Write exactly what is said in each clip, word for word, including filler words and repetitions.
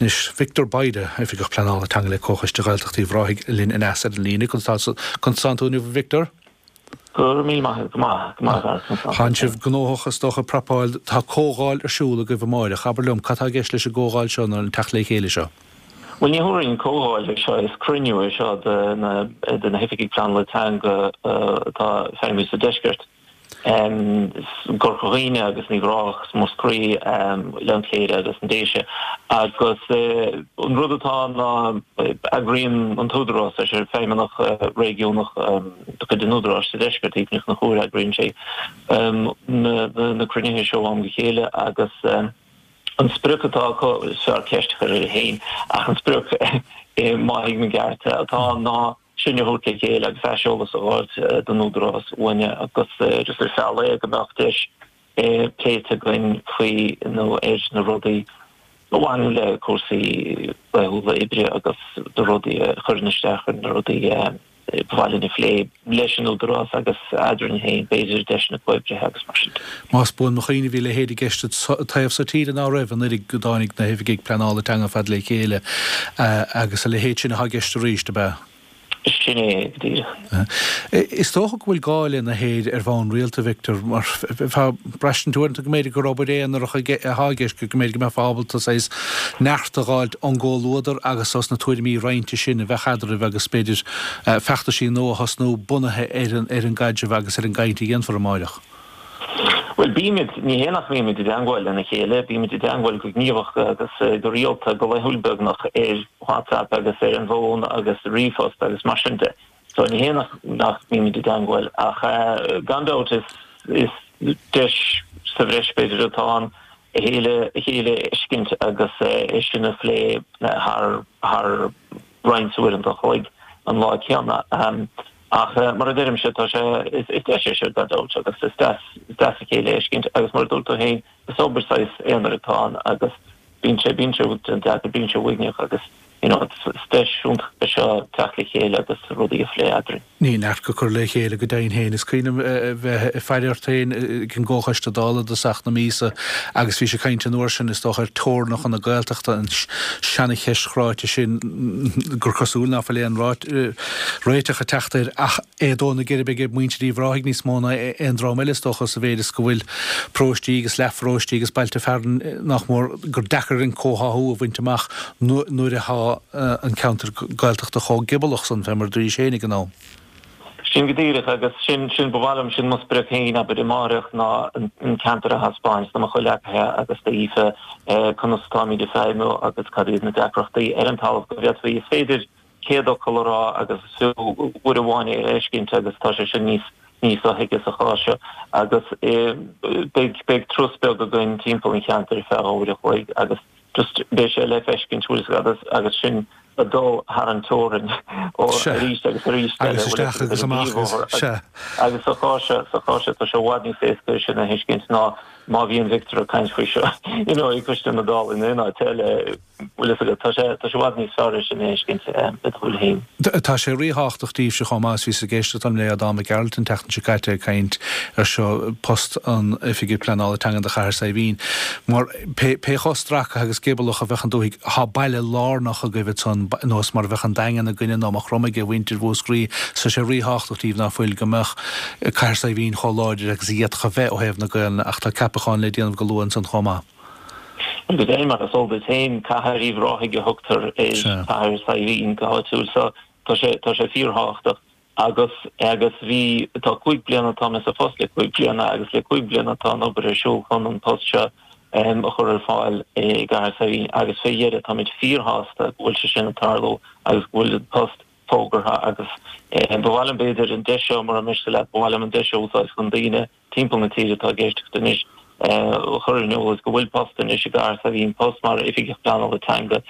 Anois Victor Bayda, Oifigeach Pleanála Teanga le Comhchoiste Ghaeltacht Uíbh Ráthaigh linn aneas ar an líne. Conas tánn tú inniu Victor? Go mí maith go maith go maith. Tá sibh gnóthach is dócha prapáil tá comhdháil ar siúl agaibh amárach, abair liom cad tá i gceist leis an gcomhdháil seo nó an teacht le chéile seo. Well ní hamháin comhdháil é seo is cruinniú é seo de na de na hoifigigh pleanála teanga atá ag feidhmiú sa deisceart. Corca Dhuibhne agus Uíbh Ráthach Múscraí Oileán Cléire agus na Déise agus an rud atá ná eagraíonn an tÚdarás leis ar feidhmeannach réigiúnach de chuid an Údaráis sa deisceart Aoife Ní Chonchúir eagraíonn sé na cruinnithe seo ó am go chéile agus an sprioc atá acu is fearr ceist a chur uirthi féin ach an sprioc má thuigim i gceart atá ná sinn a thabhairt le chéile agus aiseolas a fháilt don Údarás uainne agus just ar feadh lae go mbeadh deis pléite againn faoi nó ar na rudaí a bhaineann le cúrsaí laethúla oibre agus na rudaí a chuireann isteach ar na rudaí ba mhaith linn a phlé leis an Údarás agus eadrainn féin, b'fhéidir deiseanna comhoibrithe agus mar sin de. Más buan mo chuimhne bhí a leithéid i gceist an taobh so tíre ná raibh an oiread go dtáinig na hoifigigh pleanála teanga fad le chéile agus a leithéid sin atá i gceist arís, ab ea? Sin é go díreach. Is dócha go bhfuil gá lena leithéid ar bhonn rialta, Victor, mar braistint uaireanta go mb'fhéidir gur obair aonarach atá i gceist, go mb'fhéidir go mbeifeá ábalta saghas neart a dh'fháilt ón gcomhluadar agus os na tuairimí roinnte sin a bheadh eadraibh agus b'fhéidir feachtaisí nua a thosnú bunaithe ar an ar an gcaidreamh agus ar an gcaint a dhéanfar amáireach. Bhuel, bímid, ní hé nach mbímid i dteangmháil lena chéile, bímid i dteangmháil go gníomhach agus go rialta, go laethúil beagnach, ar WhatsApp agus ar an bhfón agus ríomhphost agus mar sin de. So ní hé nach nach mbímid i dteangmháil ach gan dabht is is deis sa bhreis b'fhéidir atá ann a chéile a chéile a fheiscint agus é sin a phlé thar thar roinnt uaireanta an chloig an lá céanna. Ach mar a deirimse, tá sé, is deis é seo gan dabht agus is deas, is deas a chéile a fheiscint agus mar a dúirt tú féin, is obair saghas aonair atá ann agus bíonn sé, bíonn sé deacair, bíonn sé uaigneach agus you know is deis iontach é seo teacht le chéile agus rudaí a phlé eadrainn. Ní neart go cur le chéile go deimhin féin. Is cuimhin liom bheith ag faire ort féin ag an gComhchoiste Dála i dtosach na míosa agus bhís ag caint an uair sin, is dócha, ar teorainneacha na Gaeltachta, an seana-cheist chráite sin gur cosúil ná fuil aon réiteach ag teacht air ach é ag dó na geirbe ag muintir Uíbh Ráthaigh níos mó ná aon dream eile, is dócha, sa mhéid is go bhfuil paróistí agus leathpharóistí agus bailte fearainn nach mór gur deacair an comhtháthú a bhaint amach nuair atá an ceantar Gaeltachta chomh giobalach san, fé mar a dúraís féin ag an am. Sin go díreach, agus sin, sin, ba mhaith liom, sin mo sprioc féin, abair, amáireach, ná an ceantar a thaispeáint do mo chomhleacaithe agus d'Aoife, conas atáimid ag feidhmiú agus cad iad na deacrachtaí ar an talamh go bhféadfaí, is féidir céad fhocal a rá agus is fiú uair amháin é a fheiscint agus tá sé sin níos, níos sothuigthe sa chás seo. Agus beidh, beidh turas beag againn timpeall an cheantair ar feadh uair a chloig agus just beidh sé le feiscint, bhfuil fhios agat, agus sinn ag dul thar an teorainn ó arís agus arís eile, Agus isteach agus amach agus, sea. Agus sa chás seo, sa chás seo, tá sé i bhfad níos éasca é sin a thuiscint ná má bhíonn Victor ag caint faoi seo, you know, ag Coiste na Dála in aon áit eile, bhfuil fhios agat, tá sé, tá sé i bhfad níos fearr é sin a thuiscint le do shúile féin. Tá sé ríthábhachtach daoibhse chomh maith, is bhíos ag éisteacht le Aodán Mac Gearailt an tseachtain seo caite ag caint ar seo, post an Oifigigh Pleanála Teanga do Chathair Saidhbhín, mar pé chomh stracaithe agus giobalach a bheadh an dúthaigh, tá baile lárnach agaibh ansan, nós mar a bheadh an Daingean againne nó Maigh Chromtha ag mhuintir Mhúscraí, so tá sé ríthábhachtach daoibh ná fuil go mbeadh Cathair Saidhbhín chomh láidir agus a d'fhéadfadh a bheith ó thaobh na Gaelainne ach tá ceapachán le déanamh go luath ansan chomh maith. Go deimhin, mar is eol duit féin, Cathair Uíbh Ráthaigh a thugtar ar Chathair Saidhbhín go háitiúil, so tá sé, tá sé fíorthábhachtach. Agus, agus bhí, tá cúig bliana, tá mé sa phost le cúig bliana agus le cúig bliana tá an obair ar siúl chun an post seo a chur ar fáil i gCathair Saidhbhín agus fé dheireadh táimid fíorshásta go bhfuil sé sin ag tarlú agus go bhfuil an post fógartha agus ba mhaith liom b'fhéidir an deis seo, mura miste leat, ba mhaith liom an deis seo a úsáid chun daoine timpeall na tíre atá ag éisteacht anois a chur ar an eolas go bhfuil post anois i gCathair Saidhbhín, post mar Oifigeach Pleanála Teanga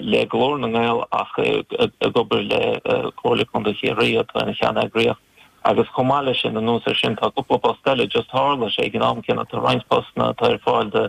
le Glór na nGael ach ag obair le Comhairle Contae Chiarraí atá ina cheanneagraíocht agus chomh maith leis sin, anuas air sin, tá cúpla post eile, just tharla sé ag an am céanna, tá roinnt postanna atá ar fáil do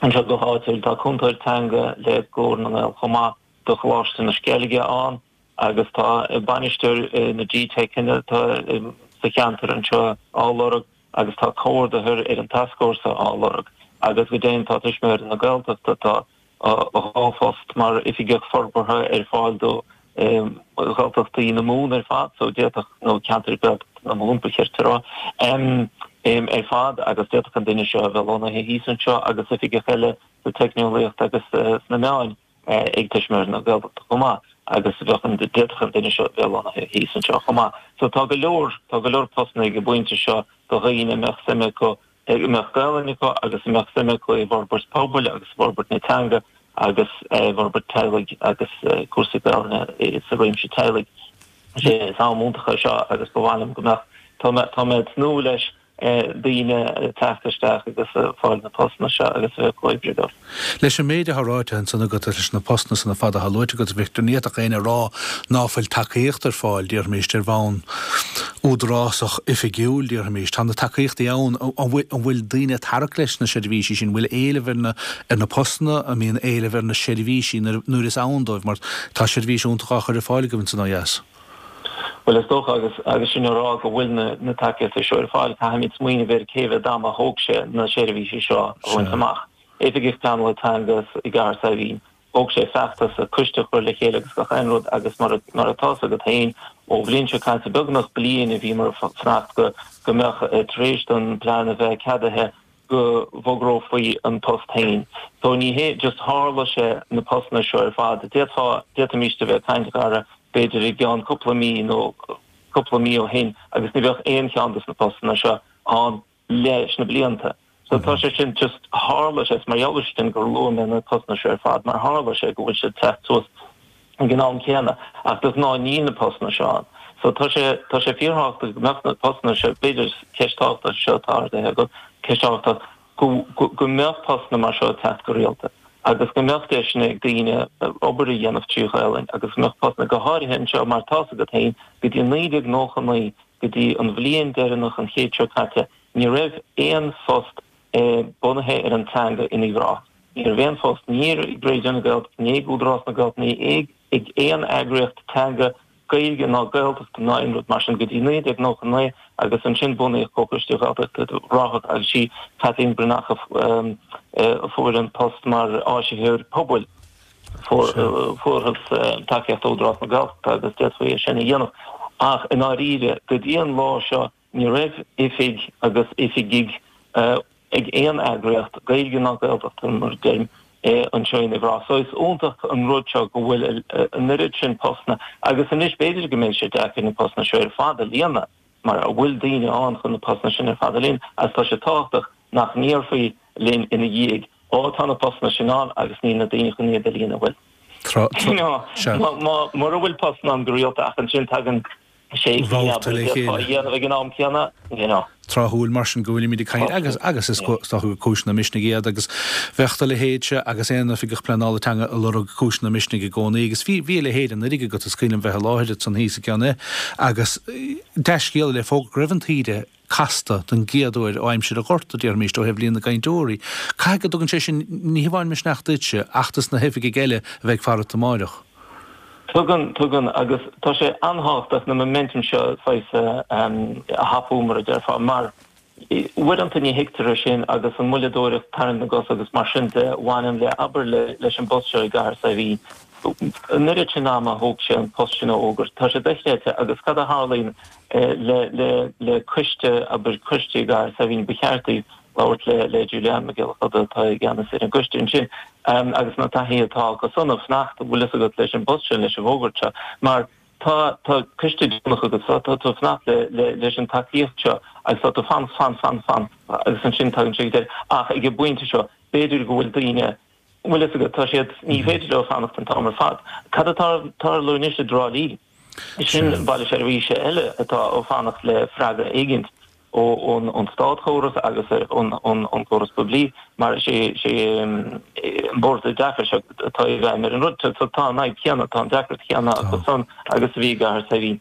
anseo go háitiúil, tá cúntóir teanga le Glór na nGael chomh maith do Choláiste na Sceilge ann. Agus tá bainisteoir na GTeiceanna atá sa cheantar anseo á lorg agus tá comhordaitheoir ar an tascfhórsa á lorg agus go deimhin tá Tuismitheoirí na Gaeltachta atá dhá phost mar oifigeach forbartha ar fáil do Ghaeltachtaí na Mumhan ar fad, so d'fhéadfadh, nó ceantar Gaeltachta na Mumhan ba cheart a rá, ar fad agus d'fhéadfadh an duine seo a bheith lonnaithe thíos anseo agus oifigeach eile sa teicneolaíocht agus sna meáin ag Tuismitheoirí na Gaeltachta chomh maith agus bheadh an, d'fhéadfadh an duine seo a bheith lonnaithe thíos anseo chomh maith. So tá go leor, tá go leor postanna ag an bpointe seo do dhaoine a mbeadh suim acu, a mbeadh Gaelainn acu agus a mbeadh suim acu i bhforbairt pobail agus i bhforbairt na teanga agus i bhforbairt teaghlaigh agus cúrsaí Gaelainne sa réimse teaghlaigh. Is am iontach é seo agus ba mhaith liom go mbeadh, tá mé, tá mé ag tnúth leis daoine teacht isteach agus fáil na postanna seo agus a bheith ag comhoibriú leo. Leis an méid atá ráite ansan agat leis na postanna san ar fad atá luaite agat, a Victor, ní fhéadfadh éinne a rá ná fuil tacaíocht ar fáil, déarfaimis, ar bhonn údarásach oifigiúil, déarfaimis. Tá na tacaíochtaí ann. An bhfuil daoine ag tarrac leis na seirbhísí sin? An bhfuil éileamh ar na ar na postanna? An mbíonn éileamh ar na seirbhísí nuair is ann dóibh? Mar tá seirbhís iontach á chur ar fáil agaibh ansan ó dheas. Bhuel, is dócha, agus agus sinn á rá go bhfuil na na tacaíochtaí seo ar fáil, caithfimid smaoineamh ar cé mhéad ama a thóg sé na seirbhísí seo a bhaint amach. Oifigeach Pleanála Teanga i gCathair Saidhbhín, thóg sé feachtas, coiste a chur le chéile agus gach aon rud agus mar mar atá 's agat féin, ó bhliain seo caite, beagnach bliain a bhíomar ag fanacht go go mbeadh tar éis don plean a bheith ceadaithe, go bhfógrófaí an post féin. So ní hé just tharla sé na postanna seo ar fad. D'fhéadfá, d'fhéadfaimíst a bheith ag caint, a Dhara, b'fhéidir i gceann cúpla mí nó cúpla mí ó shin agus ní bheadh aon cheann dos na postanna seo ann leis na blianta. So tá sé sin just tharla sé, is mar gheall air sin gur luaigh mé na postanna seo ar fad mar tharla sé go bhfuil siad teacht suas ag an am céanna ach de ghnáth níl na postanna seo ann. So tá sé, tá sé fíorthábhachtach go mbeadh na postanna seo, b'fhéidir ceist thábhachtach seo atá ardaithe agat, ceist thábhachtach, go, go, go mbeadh postanna mar seo ag teacht go rialta agus go mbeadh deiseanna ag daoine obair a dhéanamh trí Ghaelainn agus go mbeadh postanna, go háirithe anseo mar tá's agat féin, go dtí naoi déag nócha naoi, go dtí an bhliain deireanach an chéid seo caite, ní raibh aon phost bunaithe ar an teanga in Uíbh Ráthach. Ní raibh aon phost, ní ag Raidió na Gaeltachta, ní ag Údarás na Gaeltachta, ní ag aon eagraíocht teanga, Gaeilge ná Gaeltachta ná aon rud mar sin go dtí naoi déag nócha naoi agus ansin bunaíodh Comhchoiste Ghaeltacht Uíbh Ráthach agus sí Kathleen Breathnach a fuair an post mar áisitheoir pobail. Fuarthas tacaíocht ó Údarás na Gaeltachta agus d'fhéadfaí é sin a dhéanamh ach i ndáiríre go dtí an lá seo ní raibh oifig agus oifigigh ag aon eagraíocht, Gaeilge ná Gaeltachta mar a deirim, anseo in Uíbh Ráthach. So is iontach an rud seo go bhfuil an oiread sin postanna agus anois b'fhéidir go mbeidh sé deacair na postanna seo ar fad a líonadh mar an bhfuil daoine ann chun na postanna sin ar fad a líonadh agus tá sé tábhachtach nach ndéarfaí linn ina dhiaidh ó tá na postanna sin ann agus níl na daoine chun iad a líonadh bhuel mura bhfuil postanna ann go rialta ach ansin tagann sé Babhta le chéile. a dhéanamh ag an am céanna, you know. Tráthúil mar sin go bhfuilimid ag caint agus agus is dócha gur cúiseanna misnigh iad agus bheadh do leithéidse agus aon oifigeach pleanála teanga ag lorg cúiseanna misnigh i gcónaí agus bhí bhí a leithéid anuraidh agat is cuimhin liom bheith i láthair ansan thíos i gCeann agus dea-scéala le fógairt go raibh an taoide casta don gcéad uair ó aimsir an Ghorta, déarfaimis, ó thaobh líon na gcainteoirí. Caithfidh go dtugann sé sin ní hamháin misneach duitse ach dos na hoifigigh eile a bheidh ag faire ort amáireach. Tugann, tugann, agus tá sé an-thábhachtach na momentum seo saghas a thapú, mar a déarfá, mar uaireanta ní thuigtear é sin agus an mhoilleadóireacht, tarraingt na gcos agus mar sin de a bhaineann le, abair, leis an bpost seo i gCathair Saidhbhín. An oiread sin ama a thóg sé an post sin a fhógairt, tá sé dochreidte agus cad a tharlaíonn le, le, le coiste, abair, coiste i gCathair Saidhbhín, ba cheart daoibh labhairt le le Julianne Mac Giolla Chuda atá i gceannas ar an gcoiste ansin agus na taithí atá acu san ag fanacht, bhfuil fhios agat, leis an bpost sin, leis an bhfógairt seo mar tá tá coiste deonach agat so tá tú ag fanacht le le leis an tacaíocht seo agus tá tú fan fan fan fan agus ansin tagann sé go deireadh ach ag an bpointe seo b'fhéidir go bhfuil daoine bhfuil fhios agat, tá siad, ní féidir leo fanacht an t-am ar fad. Cad atá ag tarlú anois i dTrá Lí? Sin baile seirbhíse eile atá ag fanacht le freagra éigint. ón státchóras agus ón gcóras poiblí mar is é an Bord Oideachais atá i bhfeidhm ar an rud. So tá an fhadhb chéanna, tá an deacracht chéanna acu san agus a bhí i gCathair Saidhbhín.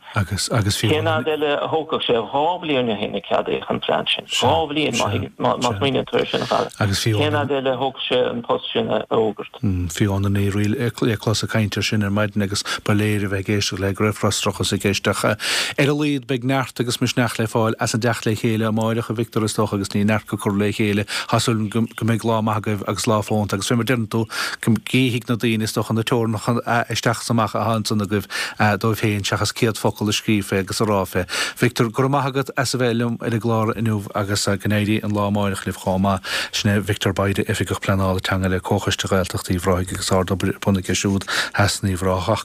Cén fhad eile a thógfadh sé? Dhá bhliain ó shin a ceadaíodh an plean sin. Dhá bhliain má smaoiníonn tú air sin, a Dhara. Cén fhad eile a thógfadh sé an post sin a fhógairt? Fiona Ní Fhrighil le clos ag caint air sin ar maidin agus ba léir a bheith ag éisteacht léi go raibh frustrachas i gceist ach ar a laghad beidh neart agus misneach le fáil as an dteacht le chéile. chéile amáireach a Victor is dócha agus ní neart go cur le chéile tá súil go mbeidh lá maith agaibh agus lá fónta agus fé mar deireann tú go gcífidh na daoine is dócha na teorainneacha isteach is amach atá ansan agaibh dóibh féin seachas céad focal a scríobh fé agus a rá fé. Victor, go raibh maith agat as a bheith liom ar an gclár inniu agus go n-éirí an lá amáireach libh chomh maith. Sin é Victor Bayda, Oifigeach Pleanála Teanga le Comhchoiste Ghaeltacht Uíbh Ráthaigh agus ard-obair ar bun aige siúd theas in Uíbh Ráthach.